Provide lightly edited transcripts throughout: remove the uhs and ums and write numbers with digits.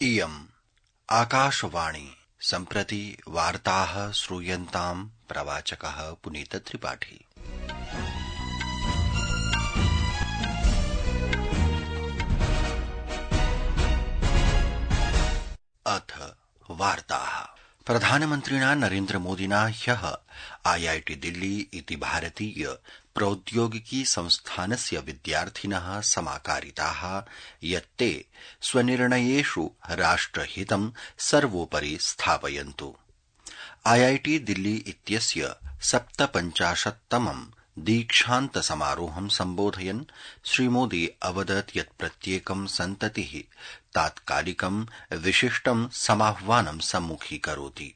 इयम् आकाशवाणी सम्प्रति वार्ताः श्रूयन्ताम् प्रवाचकः पुनीतत्रिपाठी। अथ वार्ताः। प्रधानमन्त्रिणा नरेन्द्रमोदिना ह्यः IIT दिल्ली इति भारतीय प्रौद्योगिकी संस्थानस्य विद्यार्थिनः समाकारिताः यत् ते स्वनिर्णयेषु राष्ट्रहितं सर्वोपरि स्थापयन्तु। IIT दिल्ली इत्यस्य 57तमं दीक्षान्त समारोहं सम्बोधयन् श्रीमोदी अवदत् यत् प्रत्येकं सन्ततिः तात्कालिकं विशिष्टं समाह्वानं सम्मुखीकरोति,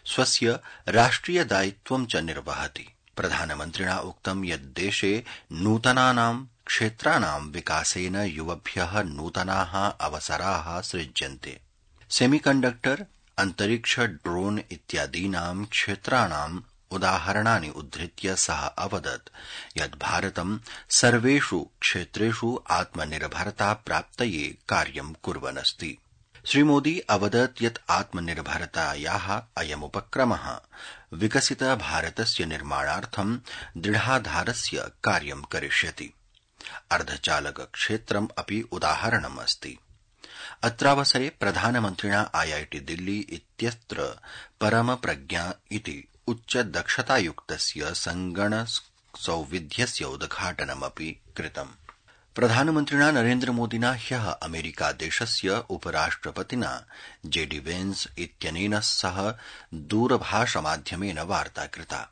स्वस्य राष्ट्रिय दायित्वं च निर्वहति। प्रधानमन्त्रिणा उक्तं यत् देशे नूतनानां क्षेत्राणां विकासेन युवभ्यः नूतनाः अवसराः सृज्यन्ते। सेमीकण्डक्टर, अंतरिक्ष, ड्रोन इत्यादीनां क्षेत्राणां उदाहरणानि उद्धृत्य सः अवदत् यत् भारतं सर्वेषु क्षेत्रेषु आत्मनिर्भरता प्राप्तये कार्यं कुर्वन् अस्ति। श्रीमोदी अवदत् यत् आत्मनिर्भरतायाः अयमुपक्रमः विकसित भारतस्य निर्माणार्थं दृढाधारस्य कार्यं करिष्यति। अर्धचालक क्षेत्रम् अपि उदाहरणम् अस्ति। अत्रावसरे प्रधानमन्त्रिणा IIT दिल्ली इत्यत्र परमप्रज्ञा इति उच्च दक्षतायुक्तस्य संगणकसौविध्यस्य उद्घाटनमपि कृतम्। प्रधानमन्त्रिणा नरेन्द्रमोदिना ह्यः अमेरिकादेशस्य उपराष्ट्रपतिना JD वेन्स इत्यनेन सह दूरभाषमाध्यमेन वार्ता कृता।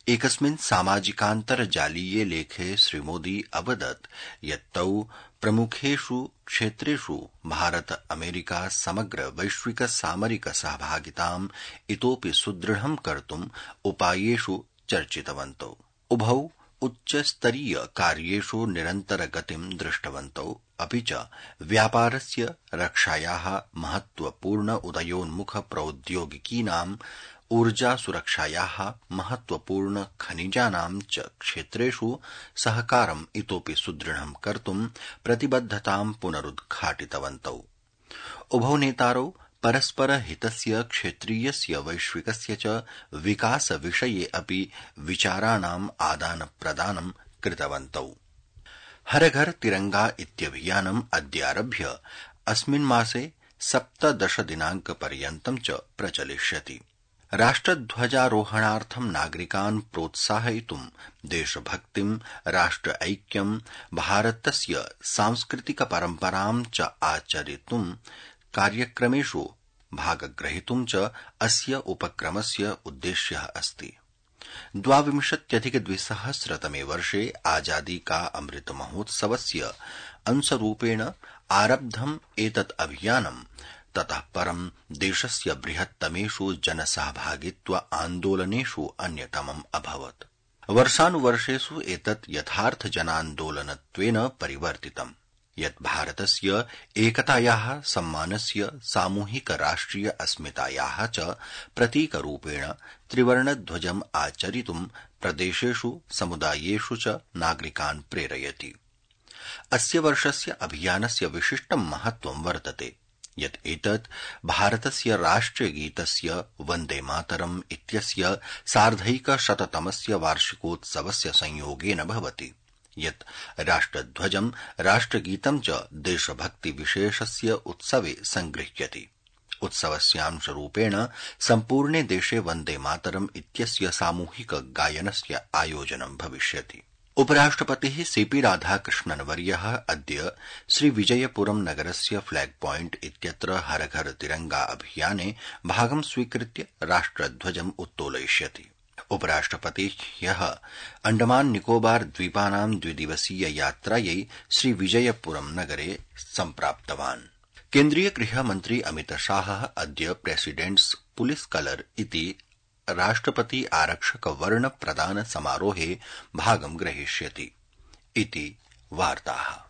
एकस्मिन् सामाजिकान्तर्जालीये लेखे श्रीमोदी अवदत् यत् तौ प्रमुखेषु क्षेत्रेषु भारत अमेरिका समग्र वैश्विक सामरिक सहभागिताम् इतोपि सुदृढं कर्तुम् उपायेषु चर्चितवन्तौ। उभौ उच्चस्तरीय कार्येषु निरन्तरगतिं दृष्टवन्तौ, अपि च व्यापारस्य, रक्षायाः, महत्वपूर्ण उदयोन्मुख प्रौद्योगिकीनाम्, ऊर्जासुरक्षायाः, महत्वपूर्ण खनिजानां च क्षेत्रेषु सहकारम् इतोपि सुदृढं कर्तुं प्रतिबद्धतां पुनरुद्घाटितवन्तौ। उभौ नेतारौ परस्पर हितस्य, क्षेत्रीयस्य, वैश्विकस्य च विकासविषये अपि विचाराणाम् आदानप्रदानं कृतवन्तौ। हर घर तिरंगा इत्यभियानम् अद्यारभ्य अस्मिन् मासे 17 दिनाङ्कपर्यन्तं च प्रचलिष्यति। राष्ट्रध्वजारोहणार्थं नागरिकान् प्रोत्साहयितुं देशभक्तिं, राष्ट्र ऐक्यं, भारतस्य सांस्कृतिक परम्परां च आचरितुं कार्यक्रमेषु भागग्रहीतुं च अस्य उपक्रमस्य उद्देश्यः अस्ति। 22अधिक-2000 वर्षे आजादी का अमृत महोत्सवस्य अंशरूपेण आरब्धम् एतत् अभियानं ततः परं देशस्य बृहत्तमेषु जनसहभागित्व आन्दोलनेषु अन्यतमम् अभवत्। वर्षानुवर्षेषु एतत् यथार्थ जनान्दोलनत्वेन परिवर्तितम्, यत् भारतस्य एकतायाः, सम्मानस्य, सामूहिक राष्ट्रिय अस्मितायाः च प्रतीकरूपेण त्रिवर्णध्वजम् आचरितुं प्रदेशेषु, समुदायेषु च नागरिकान् प्रेरयति। अस्य वर्षस्य अभियानस्य विशिष्टं महत्वं वर्तते यत् एतत् भारतस्य राष्ट्रियगीतस्य वन्दे मातरम् इत्यस्य सार्धैकशततमस्य वार्षिकोत्सवस्य संयोगेन भवति, यत् राष्ट्रध्वजं, राष्ट्रगीतं च देशभक्तिविशेषस्य उत्सवे संगृह्यति। उत्सवस्यांशरूपेण सम्पूर्णे देशे वन्दे मातरम् इत्यस्य सामूहिक गायनस्य आयोजनं भविष्यति। उपराष्ट्रपतिः CP राधाकृष्णन्वर्यः अद्य श्रीविजयपुरम् नगरस्य फ्लैग पॉइंट इत्यत्र हर घर तिरंगा अभियाने भागं स्वीकृत्य राष्ट्रध्वजम् उत्तोलयिष्यति। उपराष्ट्रपतिः ह्यः अण्डमान निकोबार द्वीपानां द्विदिवसीय यात्रायै श्रीविजयपुरम् नगरे सम्प्राप्तवान्। केन्द्रीय गृहमन्त्री अमित शाहः अद्य प्रेसिडेंट्स पुलिस कलर इति राष्ट्रपति आरक्षक वर्ण प्रदान समारोहे भागं ग्रहीष्यति इति वार्ताः।